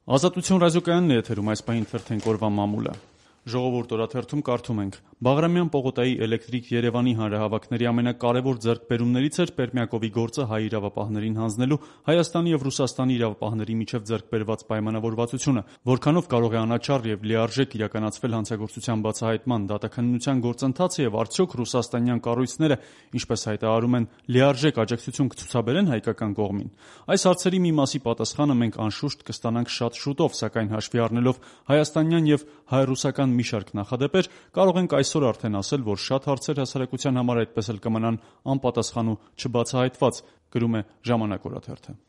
Ազատություն ռադիոկայանն է եթերում, այս պահին թերթենք օրվա մամուլը։ Ժողովուրդ օրաթերթում կարդում ենք. Բաղրամյան պողոտայի Էլեկտրիկ Երևանի հանրահավաքների ամենակարևոր ձեռքբերումներից էր Պերմյակովի գործը հայ իրավապահներին հանձնելու Հայաստանի և Ռուսաստանի իրավապահների միջև ձեռքբերված պայմանավորվածությունը, որքանով կարող է անաչառ և լիարժեք իրականացվել հանցագործության բացահայտման, դատաքննության գործընթացը և արդյոք ռուսաստանյան կառույցները, ինչպես հայտարարում են, լիարժեք աջակցություն կցուցաբերեն հայկական կողմին։ Այս հարցերի մի մասի պատասխանը մենք անշուշտ կստանանք շատ շուտով, սակայն հաշվի առնելով հայաստանյան և հայ-ռուսական մի շարք նախադեպեր, կարող ենք այսօր արդեն ասել, որ շատ հարցեր հասարակության համար այդպես էլ կմնան անպատասխան ու չբացահայտված, գրում է «Ժամանակ» օրաթերթը։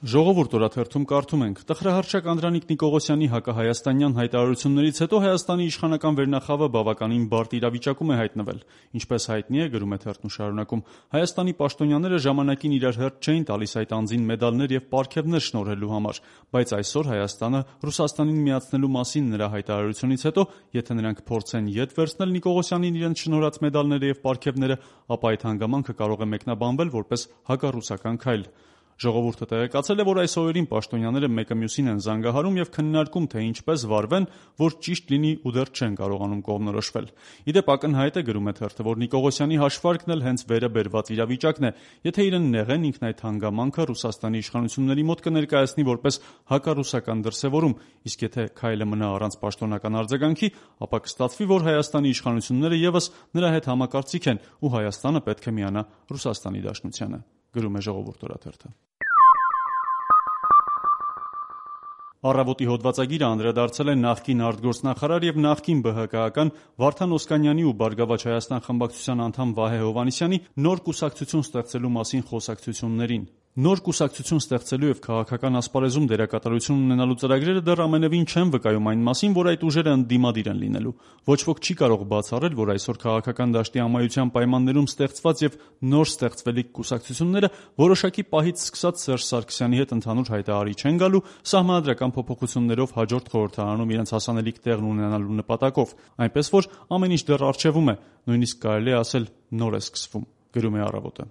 Ժողովուրդ օրաթերթում կարդում ենք. տխրահռչակ Անդրանիկ Նիկողոսյանի հակահայաստանյան հայտարարություններից հետո Հայաստանի իշխանական վերնախավը բավականին բարդ իրավիճակում է հայտնվել։ Ինչպես հայտնի է, գրում է թերթն ու շարունակում, Հայաստանի պաշտոնյաները ժամանակին իրար հերթ չէին տալիս այդ անձին մեդալներ և պարգևներ շնորհելու համար, բայց այսօր Հայաստանը Ռուսաստանին միացնելու մասին նրա հայտարարությունից հետո, եթե նրանք փորձեն ետ վերցնել Նիկողոսյանին իրենց շնորհած մեդալները և պարգևները, ապա այդ հանգամանքը կարող է մեկնաբանվել որպես հակառուսական քայլ։ Ժողովուրդը տեղեկացել է, որ այս օրերին պաշտոնյաները մեկը մյուսին են զանգահարում և քննարկում, թե ինչպես վարվեն, որ ճիշտ լինի ու դեռ չեն կարողանում կողմնորոշվել։ Իդեպ ակնհայտ է, գրում է թերթը, որ Նիկողոսյանի հաշվարկն էլ հենց վերը բերված իրավիճակն է։ Եթե իրեն նեղեն, ինքն այդ հանգամանքը Ռուսաստանի իշխանությունների մոտ կներկայացնի որպես հակառուսական դրսևորում, իսկ եթե քայլը մնա առանց պաշտոնական արձագանքի, ապա կստացվի, որ Հայաստանի իշխանությունները ևս նրա հետ համակարծիք են ու Հայաստանը պետք է միանա Ռուսաստանի դաշնությանը, գրում է Ժողովուրդ օրաթերթը։ Առավոտի հոդվածագիրը անդրադարձել է նախկին արտգործնախարար և նախկին ԲՀԿ-ական Վարդան Օսկանյանի ու Բարգավաճ Հայաստան խմբակցության անդամ Վահե Հովհաննիսյանի նոր կուսակցություն ստեղծելու մասին խոսակցություններին։ Նոր կուսակցություն ստեղծելու և քաղաքական ասպարեզում դերակատարություն ունենալու ծրագրերը դեռ ամենևին չեն վկայում այն մասին, որ այդ ուժերը ընդդիմադիր են լինելու։ Ոչ ոք չի կարող բացառել, որ այսօր քաղաքական դաշտի ամայության պայմաններում ստեղծված և նոր ստեղծվելիք կուսակցությունները որոշակի պահից սկսած Սերժ Սարգսյանի հետ ընդհանուր հայտարարի չեն գալու սահմանադրական փոփոխություններով հաջորդ խորհրդարանում իրենց հասանելիք տեղն ունենալու նպատակով, այնպես որ ամեն ինչ դեռ առջևում է, նույնիսկ կարելի է ասել նոր է սկսվում, գրում է Առավոտը։